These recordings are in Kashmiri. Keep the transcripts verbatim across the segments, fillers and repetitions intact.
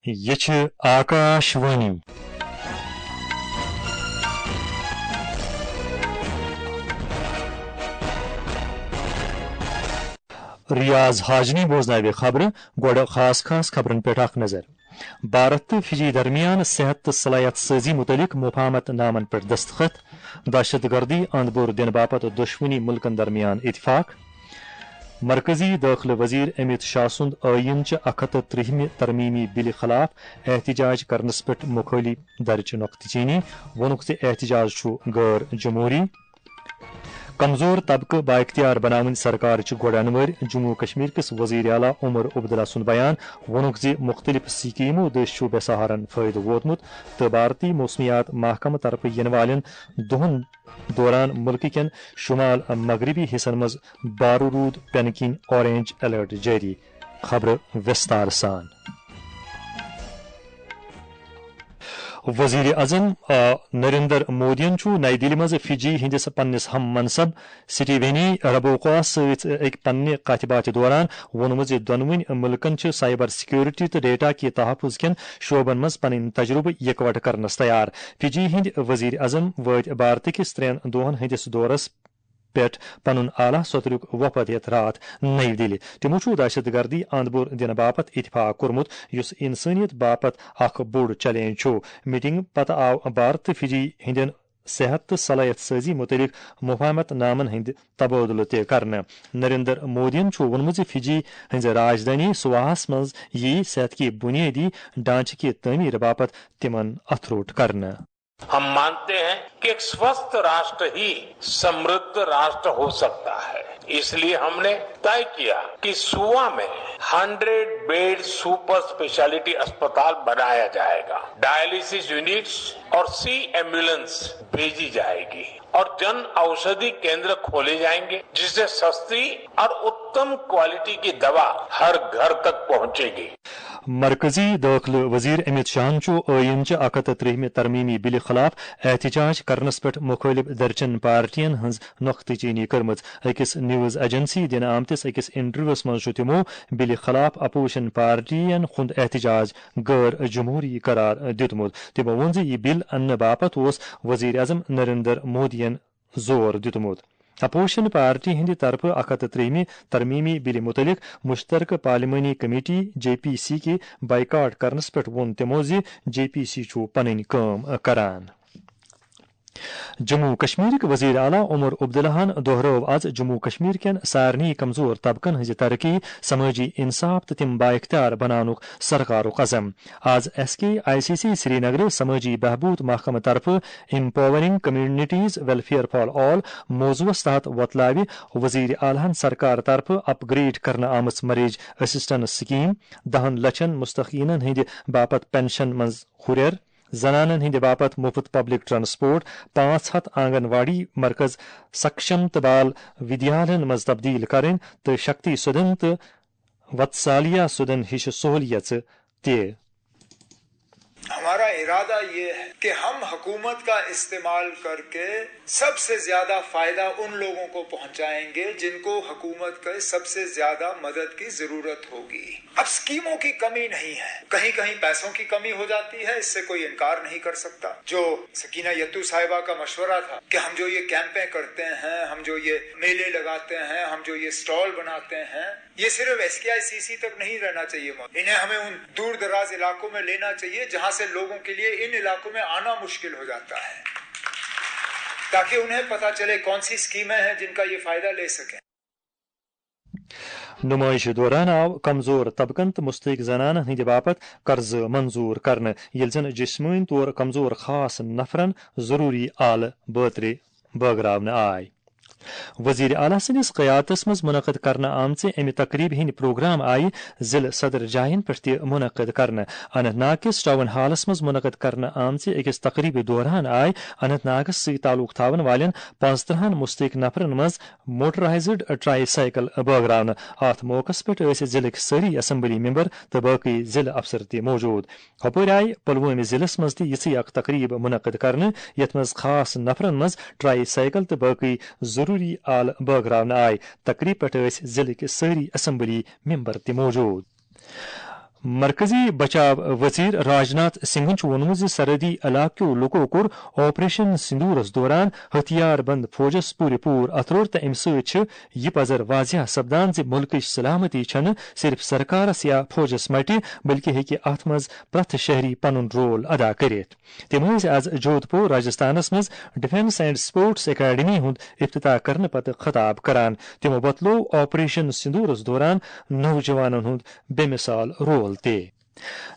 یہِ چھِ آکاش وانی۔ ریاض حاجنی بوزناوِ خبرٕ۔ گۄڈٕ خاص خاص خبرن پٮ۪ٹھ اکھ نظر۔ بھارت تہٕ فجی درمیان صحت تہٕ صلاحیت سازی متعلق مفاہمت نامن پٮ۪ٹھ دستخط۔ دہشت گردی اند بور دِنہٕ باپتھ دۄشوٕنی ملکن درمیان اتفاق۔ مرکزی دٲخلہٕ وزیر امیت شاہ سُنٛد ٲییٖن چہِ اکھ ہتھ تہٕ ترٛہمہِ ترمیمی بلہِ خلاف احتجاج کرنس پٮ۪ٹھ مخٲلف درٕچ نۄقطہٕ چینی، ووٚنُکھ زِ احتجاج چھُ غٲر جمہوری۔ کمزور طبقہٕ بااختیار بناوٕنۍ سرکارٕچ گۄڈٕ انوٲرۍ، جموں و کشمیر کِس وزیر اعلیٰ عمر عبداللہ سُنٛد بیان، ووٚنُکھ زِ مُختٔلِف سکیمو دٔسۍ چھُ بے سہارن فٲیدٕ ووتمُت تہٕ بھارتی موسمیات محکمہٕ طرفہٕ یِنہٕ والٮ۪ن دۄہَن دوران مُلکہٕ کٮ۪ن شمال مغربی حصن منٛز بارٕ روٗد پٮ۪نہٕ کِنۍ اورینج الرٹ جٲری۔ خبرٕ وِستار سان۔ وزیر اعظم، آ، نریندر مودیَن چھُ نئی دِلہِ منٛز فجی ہٕنٛدِس پننِس ہم منصب سٹیونی ربوکواہَس سۭتۍ أکۍ پننہِ کتھِ باتھِ دوران ووٚنمُت زِ دۄنوٕنۍ مُلکَن چھِ سائبر سیکیورٹی تہٕ ڈیٹا کہِ تحفظ کٮ۪ن شعبن منٛز پنٕنۍ تجربہٕ یکوٹہٕ کرنس تیار۔ فجی ہٕنٛدۍ وزیر اعظم وٲتۍ بھارتہٕ کِس ترٛٮ۪ن دۄہَن ہٕنٛدِس دورس پٮ۪ٹھ پنُن اعلیٰ سوترُک وفد ہٮ۪تھ راتھ نئی دِلہِ۔ تِمو چھُ دہشت گردی اند بور دِنہٕ باپتھ اتفاق کوٚرمُت، یُس انسٲنیت باپتھ اکھ بوٚڑ چیلنج چھُ۔ میٹنگ پتہٕ آو بھارت تہٕ فجی ہٕنٛدٮ۪ن صحت تہٕ صلاحیت سازی متعلق مفاہمت نامن ہٕنٛدۍ تبادلہٕ تہِ کرنہٕ۔ نریندر مودیَن چھُ ووٚنمُت زِ فجی ہٕنٛزِ راجدھانی سواہس منٛز یِیہِ صحت کہِ بنیٲدی ڈھانچہٕ کہِ تعمیٖر باپتھ تِمن اتھٕ روٚٹ کرنہٕ۔ ہم مانتے ہیں کہ ایک स्वस्थ राष्ट्र ही समृद्ध राष्ट्र हो सकता है। इसलिए हमने तय किया कि सुवा में हंड्रेड बेड सुपर स्पेशलिटी अस्पताल बनाया जाएगा, डायलिसिस यूनिट्स और सी एम्बुलेंस भेजी जाएगी और जन औषधि केंद्र खोले जाएंगे, जिससे सस्ती और उत्तम क्वालिटी की दवा हर घर तक पहुंचेगी। مرکزی دٲخلہٕ وزیر امیت شاہن چھُ ٲییٖن چہِ اکھ ہتھ تہٕ ترٛہمہِ ترمیمی بلہِ خلاف احتجاج کرنس پٮ۪ٹھ مُخٲلف دھرچن پارٹین ہٕنٛز نۄقطہٕ چینی کٔرمٕژ۔ أکِس نیوز ایجنسی دِنہٕ آمتِس أکِس انٹرویوس منٛز چھُ تِمو بلہِ خلاف اپوزیشن پارٹین ہُنٛد احتجاج غٲر جمہوری قرار دیُتمُت۔ تِمو ووٚن زِ یہِ بل اننہٕ باپتھ اوس وزیر اعظم نریندر مودیَن زور دیُتمُت۔ اپوزیشن پارٹی ہٕنٛدِ طرفہٕ اکھ ہتھ تہٕ ترٛہمہِ ترمیمی بلہِ مُتعلق مشترکہٕ پارلیمانی کمیٹی، جے پی سی، کہِ بائیکاٹ کرنس پٮ۪ٹھ ووٚن تِمو زِ جے پی سی چھُ پنٕنۍ کٲم کران۔ جموں و کشمیرٕکۍ وزیر اعلیٰ عمر عبداللہَن دۄہرٲو آز جموں و کشمیر کٮ۪ن سارنٕے کمزور طبقن ہٕنٛزِ ترقی، سمٲجی انصاف تہٕ تِم بااختیار بناونُک سرکارُک عزم۔ آز S K I C C Srinagar سمٲجی بہبود محکمہٕ طرفہٕ Empowering Communities Welfare for All موضوعس تحت وۄتلاوِ وزیر اعلیٰ ہن سرکار طرفہٕ اپ گریڈ کرنہٕ آمٕژ مریج اسسٹنس سکیم، دہن لچھن مستحقینن ہٕنٛدِ باپتھ پنشن منٛز ہُرٮ۪ر، زنانن ہٕنٛدِ باپتھ مفت پبلک ٹرانسپورٹ، پانٛژھ ہتھ آنگن واڑی مرکز سکشم تہٕ بال ودیالن منٛز تبدیل کرٕنۍ تہٕ شکتی سدن تہٕ وتسالیا سدن ہِش سہولیژٕ تہِ۔ ہمارا ارادہ یہ ہے کہ ہم حکومت کا استعمال کر کے سب سے زیادہ فائدہ ان لوگوں کو پہنچائیں گے جن کو حکومت کے سب سے زیادہ مدد کی ضرورت ہوگی۔ اب اسکیموں کی کمی نہیں ہے، کہیں کہیں پیسوں کی کمی ہو جاتی ہے، اس سے کوئی انکار نہیں کر سکتا۔ جو سکینہ یتو صاحبہ کا مشورہ تھا کہ ہم جو یہ کیمپیں کرتے ہیں، ہم جو یہ میلے لگاتے ہیں، ہم جو یہ اسٹال بناتے ہیں، یہ صرف S K I C C تک نہیں رہنا چاہیے موجود۔ انہیں ہمیں ان دور دراز علاقوں میں لینا چاہیے جہاں سے لوگوں کے لیے ان علاقوں میں آنا مشکل ہو جاتا ہے، تاکہ انہیں پتہ چلے کون سی اسکیمیں ہیں جن کا یہ فائدہ لے سکیں۔ نمائش دوران آو کمزور طبقن تہٕ مستحق زنانن ہٕنٛدِ باپتھ قرضہٕ منظور کرنہٕ، ییٚلہِ زن جسمٲنی طور کمزور خاص نفرن ضروٗری آلہٕ بٲترِ بٲگراونہٕ آے۔ وزیر اعلیٰ سٕنٛدِس قیادتس منٛز منعقد کرنہٕ آمژِ امہِ تقریبہِ ہٕنٛدۍ پروگرام آیہِ ضلع صدر جاین پٮ۪ٹھ تہِ منعقد کرنہٕ۔ اننت ناگ کِس ٹاؤن ہالس منٛز منعقد کرنہٕ آمژِ أکِس تقریبہِ دوران آیہِ اننت ناگس سۭتۍ تعلق تھاون والٮ۪ن پانٛژترٕہن مستحق نفرن منٛز موٹرائزڈ ٹرائی سائیکل بٲگراونہٕ۔ اتھ موقعس پٮ۪ٹھ ٲسۍ ضلعٕکۍ سٲری اسمبلی ممبر تہٕ باقی ضلع افسر تہِ موجود۔ ہۄپٲرۍ آیہِ پلوٲمۍ ضلعس منٛز تہِ یِژھٕے اکھ تقریب منعقد کرنہٕ، یتھ منٛز خاص نفرن منٛز ٹرائی سائیکل تہٕ باقی ضروٗری آلہٕ بٲگراونہٕ آیہِ۔ تقریب پٮ۪ٹھ ٲسۍ ضلعٕکۍ سٲری اسمبلی ممبر تہِ موجود۔ مرکزی بچاو وزیر راجناتھ سنگھن چھُ ووٚنمُت زِ سرحدی علاقہٕ کیو لوٗکو کوٚر آپریشن سندورس دوران ہتھیار بند فوجس پوٗرٕ پوٗرٕ اتھروٚٹ تہٕ امہِ سۭتۍ چھِ یہِ پزر واضح سپدان زِ مُلکٕچ سلامتی چھنہٕ صرف سرکارس یا فوجس مٹہِ، بلکہِ ہیٚکہِ اتھ منٛز پرٛٮ۪تھ شہری پنُن رول ادا کٔرِتھ۔ تِم ٲسۍ از جودھ پور راجستھانس منٛز ڈیفنس اینڈ سپورٹس اکیڈمی ہُنٛد افتتاح کرنہٕ پتہٕ خطاب کران۔ تِمو وۄتلوو آپریشن سندورس دوران نوجوانن ہُنٛد بے مثال رول تہِ۔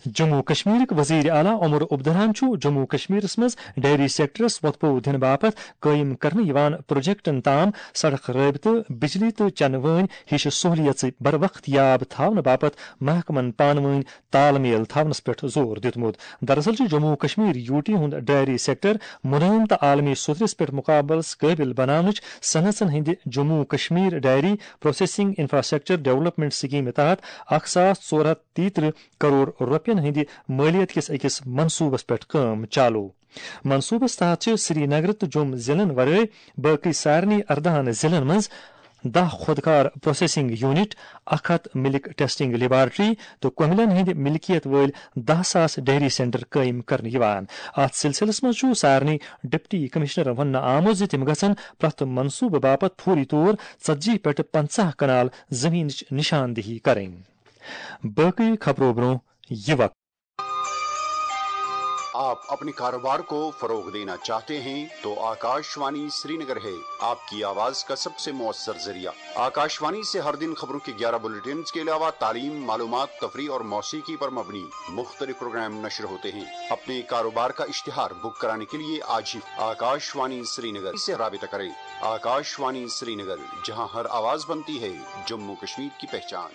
جموں کشمیرٕکۍ وزیر اعلیٰ عمر عبداللہن چھُ جموں کشمیرس منٛز ڈیری سیکٹرس وۄتھٕ پوٚو دِنہٕ باپتھ قٲیِم کرنہٕ یِوان پروجیکٹن تام سڑک رٲبطہٕ، بجلی تہٕ چنہٕ وٲنۍ ہِش سہولیژٕ بروقت یاب تھاونہٕ باپتھ محکمن پانہٕ وٲنۍ تال میل تھاونس پٮ۪ٹھ زور دیُتمُت۔ دراصل چھُ جموں و کشمیر یوٗ ٹی ہُنٛد ڈیری سیکٹر مُلٲیِم تہٕ عالمی سطحس پٮ۪ٹھ مقابلس قٲبِل بناونٕچ صنعژن ہٕنٛدِ جموں و Kashmir dairy processing infrastructure development سکیمہِ تحت اکھ ساس ژور ہتھ تیٚیہِ ترٕٛہ کرور رۄپین ہٕنٛدِ مٲلیت کِس أکِس منصوٗبس پٮ۪ٹھ کٲم چالوٗ۔ منصوٗبس تحت چھِ سری نگر تہٕ جوٚم ضلعن ورٲے باقٕے سارنٕے ارداہن ضلعن منٛز دَہ خۄدکار پروسیسنگ یونٹ، اکھ ہتھ ملک ٹیسٹنگ لیبارٹری تہٕ کۄملن ہٕنٛدِ ملکیت وٲلۍ دَہ ساس ڈیری سینٹر قٲیِم کرنہٕ یِوان۔ اتھ سلسلس منٛز چھُ سارنٕے ڈپٹی کمشنرن وننہٕ آمُت زِ تِم گژھن پرٛٮ۪تھ منصوٗبہٕ باپتھ فوری طور ژتجی پٮ۪ٹھ پنژاہ کنال زٔمیٖنٕچ نشاندہی کرٕنۍ۔ باقٕے خبرو برٛونٛہہ یہِ وقت۔ آپ اپنے کاروبار کو فروغ دینا چاہتے ہیں تو آکاشوانی سری نگر ہے آپ کی آواز کا سب سے مؤثر ذریعہ۔ آکاشوانی سے ہر دن خبروں کے گیارہ بلیٹنز کے علاوہ تعلیم، معلومات، تفریح اور موسیقی پر مبنی مختلف پروگرام نشر ہوتے ہیں۔ اپنے کاروبار کا اشتہار بک کرانے کے لیے آج ہی آکاشوانی سری نگر سے رابطہ کریں۔ آکاشوانی سری نگر، جہاں ہر آواز بنتی ہے جموں کشمیر کی پہچان۔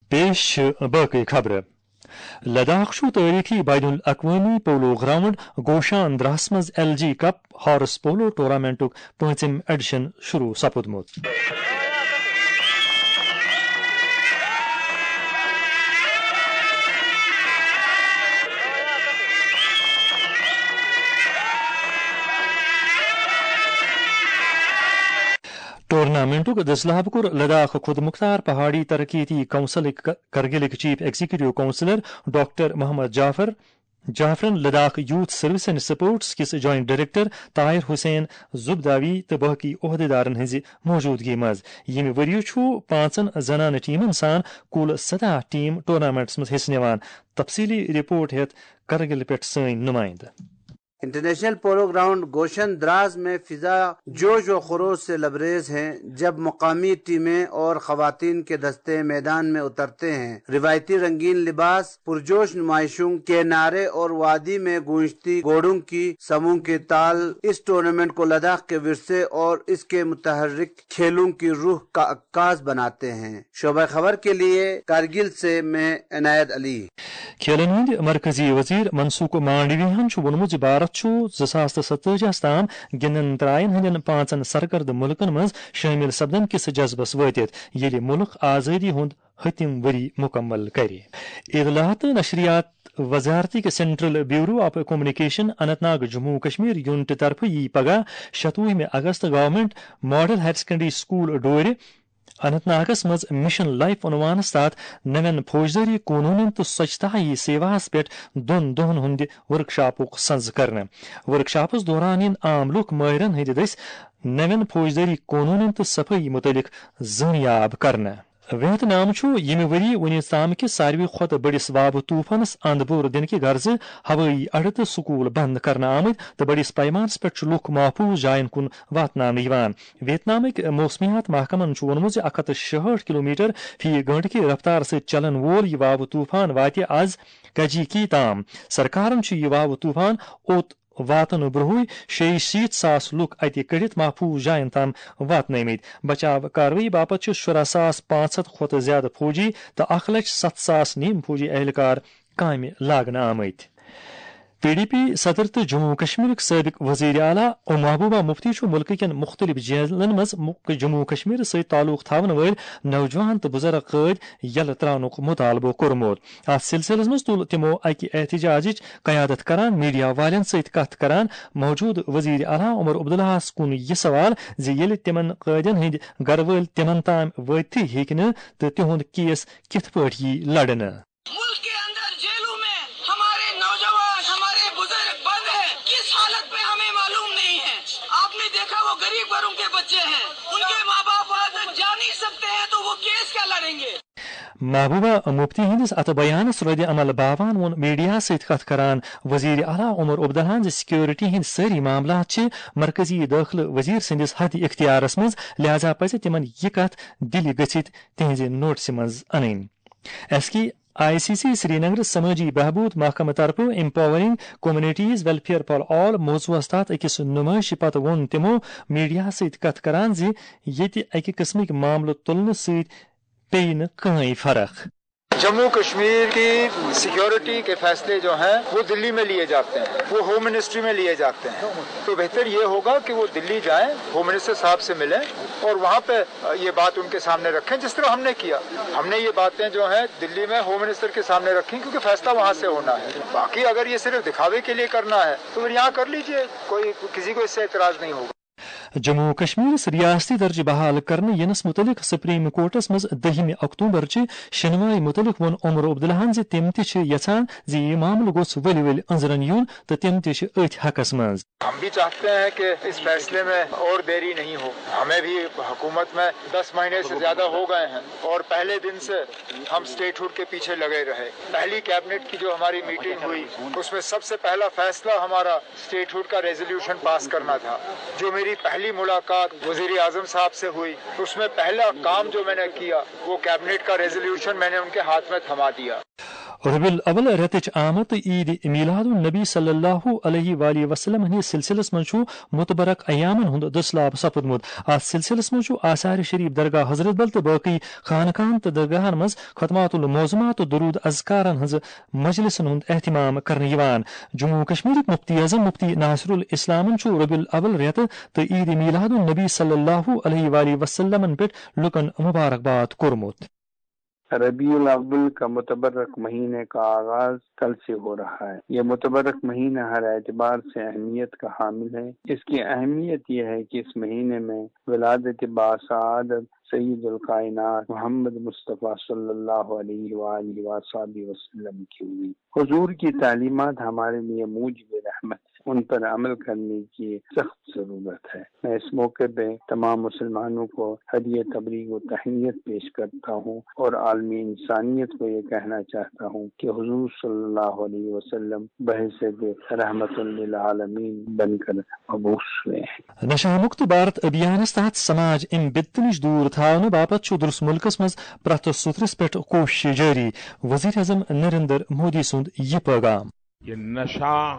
پیش چھِ باقٕے خبرٕ۔ لداخ چھُ تٲریخی بین الاقوٲمی پولو گراؤنڈ گوشان دراہس منٛز L G cup horse polo ٹورنامنٹُک پٲنٛژِم ایڈیشن شروع سپُدمُت۔ ٹورنامنٹُک دٔسلہٕ حب کوٚر لداخ خود مختار پہاڑی ترقیتی کونسلٕکۍ ک-، کرگلٕکۍ chief executive councillor doctor Mohammad Jaffar جعفرن۔ Ladakh youth service and sports کِس جوائنٹ ڈائریکٹر طاہر حسین زبداوی تہٕ باقی عہدیدارن ہٕنٛزِ موجودگی منٛز۔ ییٚمہِ ؤرۍ یہِ چھُ پانٛژن زنانہٕ ٹیمن سان کُل سداہ ٹیم ٹورنامنٹس منٛز حصہٕ نِوان۔ تفصیلی رپورٹ ہیٚتھ کرگل پٮ۪ٹھ سٲنۍ نمائندٕ۔ انٹرنیشنل پولو گراؤنڈ گوشن دراز میں فضا جوش و خروش سے لبریز ہیں، جب مقامی ٹیمیں اور خواتین کے دستے میدان میں اترتے ہیں۔ روایتی رنگین لباس، پرجوش نمائشوں کے نعرے اور وادی میں گونجتی گھوڑوں کی سموں کے تال اس ٹورنامنٹ کو لداخ کے ورثے اور اس کے متحرک کھیلوں کی روح کا عکاس بناتے ہیں۔ شعبہ خبر کے لیے کارگل سے میں عنایت علی۔ کھیلن ہٕنٛدۍ مرکزی وزیر منسوخ مانڈویاہن چھُ ووٚنمُت زِ بھارت چھُ زٕ ساس تہٕ ستٲجی ہس تام گِنٛدن ترٛاین ہٕنٛدٮ۪ن پانٛژن سرکردٕ مُلکن منٛز شٲمِل سپدن کِس جذبس وٲتِتھ، ییٚلہِ مُلک آزٲدی ہُنٛد ہتم ؤری مُکمل کرِ۔ اطلاعات تہٕ نشریات وزارتٕکۍ central bureau of communication Anant Nag Jammu و کشمیر یونٹہٕ طرفہٕ یی پگاہ شتوُہمہِ August government model higher secondary school ڈورِ اننت ناگس منٛز مشن لائف عنوانس تحت نوین فوجدٲری قونوٗنن تہٕ سوچھتا ہی سیواہس پٮ۪ٹھ دۄن دۄہن ہُنٛد ورکشاپُک سنز کرنہٕ۔ ورکشاپس دوران یِن عام لوٗکھ مٲہرن ہٕنٛدِ دٔسۍ نوین فوجدٲری قونوٗنن تہٕ صفٲیی مُتعلق زٲنیاب کرنہٕ۔ ویتنام چھُ ییٚمہِ ؤری وُنیُک تام کِس ساروی کھۄتہٕ بٔڑِس وابہٕ طوفانس اند بور دِنہٕ کہِ غرضہٕ ہوٲیی اڈٕ تہٕ سکوٗل بند کرنہٕ آمٕتۍ تہٕ بٔڑِس پیمانس پٮ۪ٹھ چھُ لوٗکھ محفوٗظ جاین کُن واتناونہٕ یِوان۔ ویتنامٕکۍ موسمیات محکمن چھُ ووٚنمُت زِ اکھ ہتھ تہٕ شُہٲٹھ کلومیٹر فی گھنٹہٕ کہِ رفتارٕ سۭتۍ چلن وول یہِ وابہٕ طوفان واتہِ از کجیکی تام۔ سرکارن چھُ یہِ وابہٕ طوفان اوٚت واتنہٕ برٛونٛہٕے شیٚیہِ شیٖتھ ساس لوٗکھ اَتہِ کٔڑِتھ محفوٗظ جاین تام واتنٲومٕتۍ۔ بچاو کاروٲیی باپتھ چھِ شُراہ ساس پانٛژھ ہتھ کھۄتہٕ زِیٛادٕ فوجی تہٕ اکھ لچھ ستھ ساس نیم فوجی اہلکار کامہِ لاگنہٕ آمٕتۍ۔ پی ڈی پی صدر تہٕ جموں و کشمیرٕکۍ سٲبق وزیر اعلیٰ محبوبہ مفتی چھُ مُلکہٕ کٮ۪ن مُختٔلِف جیلن منٛز مُ-، جموں و کشمیر سۭتۍ تعلق تھاوَن وٲلۍ نوجوان تہٕ بُزرگ قٲدۍ یَلہٕ ترٛاونُک مُطالبہٕ کوٚرمُت۔ اَتھ سلسلس منٛز تُل تِمو اَکہِ احتجاجٕچ قیادت کران میڈیا والٮ۪ن سۭتۍ کتھ کران موجودٕ وزیر اعلیٰ عمر عبداللہَس کُن یہِ سوال زِ ییٚلہِ تِمن قٲدٮ۪ن ہٕنٛدۍ گرٕ وٲلۍ تِمن تام وٲتتھٕے ہیٚکہِ نہٕ تہٕ تِہُنٛد کیس کِتھ پٲٹھۍ یِیہِ لڑنہٕ۔ ملک کے اندر جیلوں میں ہمارے نوجوان، ہمارے بزرگ بند ہیں، کس حالت میں ہمیں معلوم نہیں ہے۔ آپ نے دیکھا، وہ غریب گھروں کے بچے ہیں، ان کے ماں باپ وہاں تک جا نہیں سکتے ہیں، تو وہ کیس کیا لڑیں گے؟ محبوبہ مفتی ہٕنٛدِس اَتھ بیانَس رد عمل باوان ووٚن میڈیا سۭتۍ کتھ کران وزیر اعلیٰ عمر عبداللہَن زِ سیکورٹی ہٕنٛدۍ سٲری معاملات چھِ مرکزی دٲخلہٕ وزیر سٕنٛدِس حد اختیارس منٛز، لہذا پزِ تِمن یہِ کتھ دِلہِ گٔژھِتھ تِہنٛزِ نوٹسہِ منٛز انٕنۍ۔ S K I C C Srinagar سمٲجی بہبود محکمہٕ طرفہٕ Empowering Communities Welfare for All موضوعس تحت أکِس نمٲیشہِ پتہٕ ووٚن تِمو میڈیاہَس سۭتۍ کتھ کران زِ ییٚتہِ اَکہِ قٕسمٕکۍ معاملہٕ تُلنہٕ سۭتۍ پیٚیہِ نہٕ کٕہٕنۍ فرق۔ جموں کشمیر کی سیکیورٹی کے فیصلے جو ہیں، وہ دلی میں لیے جاتے ہیں، وہ ہوم منسٹری میں لیے جاتے ہیں۔ تو بہتر یہ ہوگا کہ وہ دلی جائیں، ہوم منسٹر صاحب سے ملیں اور وہاں پہ یہ بات ان کے سامنے رکھیں، جس طرح ہم نے کیا۔ ہم نے یہ باتیں جو ہیں دلی میں ہوم منسٹر کے سامنے رکھیں، کیونکہ فیصلہ وہاں سے ہونا ہے۔ باقی اگر یہ صرف دکھاوے کے لیے کرنا ہے تو پھر یہاں کر لیجئے، کوئی، کسی کو اس سے اعتراض نہیں ہوگا۔ جموں و کشمیرس ریاستی درجہٕ بحال کرنہٕ ینس متعلق سپریم کورٹس منٛز دٔہمہِ اکتوبر چہِ شنوایہِ متعلق ووٚن عمر عبداللہن زِ تِم تہِ چھِ یژھان زِ یہِ معاملہٕ گوٚژھ ؤلۍ ؤلۍ أنٛزرن یُن تہٕ تِم تہِ چھِ أتھۍ حقس منٛز۔ ہم بھی چاہتے ہیں کہ اس فیصلے میں اور دیری نہیں ہو۔ ہمیں بھی حکومت میں دس مہینے سے زیادہ ہو گئے ہیں اور پہلے دن سے ہم اسٹیٹہڈ کے پیچھے لگے رہے۔ پہلی کیبنٹ کی جو ہماری میٹنگ ہوئی، اس میں سب سے پہلا فیصلہ ہمارا اسٹیٹہڈ کا ریزولوشن پاس کرنا تھا۔ جو میری پہلی ملاقات وزیر اعظم صاحب سے ہوئی، اس میں پہلا کام جو میں نے کیا، وہ کیبنٹ کا ریزولوشن میں نے ان کے ہاتھ میں تھما دیا۔ ربیع الاول رٮ۪تٕچ آمد تہٕ عیٖد میلاد النبی صلی اللہ علیہ وآلہ وسلم ہٕنٛدِس سلسلس منٛز چھُ متبرک ایامن ہُنٛد دٔسلاب سپُدمُت۔ اتھ سلسلس منٛز چھُ آثار شریف، درگاہ حضرت بل تہٕ باقی خانقاہن تہٕ درگاہن منٛز ختمات المعظمات تہٕ درود اذکارن ہٕنٛز مجلسن ہُنٛد اہتمام کرنہٕ یِوان۔ جموں و کشمیرٕکۍ مفتی اعظم مفتی ناصر الاسلامن چھُ ربیع الاول رٮ۪تہٕ تہٕ عیٖد میلاد النبی صلی اللہ علیہ وآلہ وسلمن پٮ۪ٹھ لوٗکن مبارکباد کوٚرمُت۔ ربیع الاول کا متبرک مہینے کا آغاز کل سے ہو رہا ہے۔ یہ متبرک مہینہ ہر اعتبار سے اہمیت کا حامل ہے۔ اس کی اہمیت یہ ہے کہ اس مہینے میں ولادت باسعادت سید الکائنات محمد مصطفیٰ صلی اللہ علیہ وآلہ وصحبہ وسلم کی ہوئی۔ حضور کی تعلیمات ہمارے لیے موجب رحمت ہیں، ان پر عمل کرنے کی سخت ضرورت ہے۔ میں اس موقع پہ تمام مسلمانوں کو ہدیہ تبریک و تہنیت پیش کرتا ہوں اور عالمی انسانیت کو یہ کہنا چاہتا ہوں کہ حضور صلی اللہ علیہ وسلم بحیثیت رحمت للعالمین بن کر مبعوث ہوئے ہیں۔ نشہ مکت بھارت ابھیانس تحت سماج امہِ بدتہٕ نِش دوٗر تھاونہٕ باپتھ چھُ درس مُلکس منٛز پرٛٮ۪تھ سُترس پٮ۪ٹھ کوٗشش جٲری، وزیر اعظم نریندر مودی سُنٛد یہِ پٲغام۔ یہ نشہ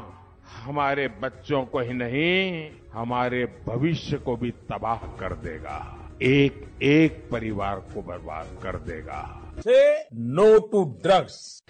ہمارے بچوں کو ہی نہیں، ہمارے بھوشیہ کو بھی تباہ کر دیگا، ایک ایک پریوار کو برباد کر دیگا۔ سے نو ٹو ڈرگس۔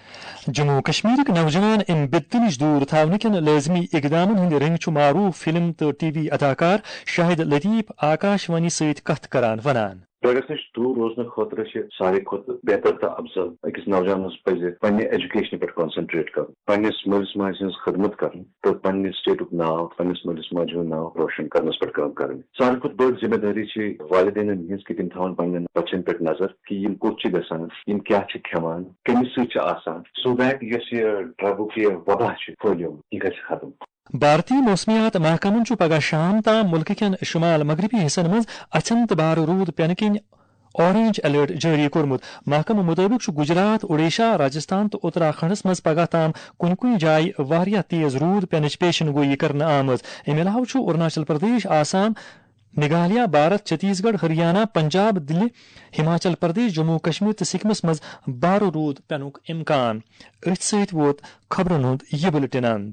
جموں و کشمیرٕکۍ نوجوان امہِ بدتہٕ نِش دوٗر تھاونہٕ کٮ۪ن لٲزمی اقدامن ہٕنٛدۍ رٔنگۍ چھُ معروف فلم تہٕ ٹی وی اداکار شاہد لطیف آکاش وانی سۭتۍ کتھ کران ونان۔ ڈرگس نِش دوٗر روزنہٕ خٲطرٕ چھِ ساروی کھۄتہٕ بہتر تہٕ افضل أکِس نوجوانس پزِ پننہِ ایجوکیشنہِ پٮ۪ٹھ کانسنٹریٹ کرُن، پننِس مٲلِس ماجہِ ہٕنٛز خدمت کرٕنۍ تہٕ پننہِ سٹیٹُک ناو، پننِس مٲلِس ماجہِ ہُنٛد ناو روشن کرنس پٮ۪ٹھ کٲم کرٕنۍ۔ ساروی کھۄتہٕ بٔڑ ذمہ دٲری چھِ والدینن ہٕنٛز کہِ تِم تھاون پننٮ۪ن بچن پٮ۪ٹھ نظر کہِ یِم کوٚت چھِ گژھان، یِم کیٛاہ چھِ کھٮ۪وان، کٔمِس سۭتۍ چھِ آسان، سو دیٹ یۄس یہِ ڈرگُک یہِ وبا چھُ پھٔہلیومُت، یہِ گژھِ ختم۔ بھارتی موسمیات محکمن چھُ پگاہ شام تام مُلکہٕ کٮ۪ن شمال مغربی حصن منٛز اَژھٮ۪ن تہٕ بارٕ روٗد پٮ۪نہٕ کِنۍ اورنج الرٹ جٲری کوٚرمُت۔ محکمہٕ مُطٲبِق چھُ گجرات، اوڈیشہ، راجستھان تہٕ اتراکھنڈس منٛز پگاہ تام کُنہِ کُنہِ جایہِ واریاہ تیز روٗد پٮ۪نٕچ پیشن گویی کرنہٕ آمٕژ۔ اَمہِ علاوٕ چھُ اروناچل پردیش، آسام، میگھالیہ، بھارت، چھتیس گڑھ، ہریانہ، پنجاب، دِلہِ، ہماچل پردیش، جموں و کشمیر تہٕ سکمس منٛز بارٕ روٗد پٮ۪نُک امکان۔ أتھۍ سۭتۍ ووت خبرن ہُنٛد یہِ بُلٹن اند۔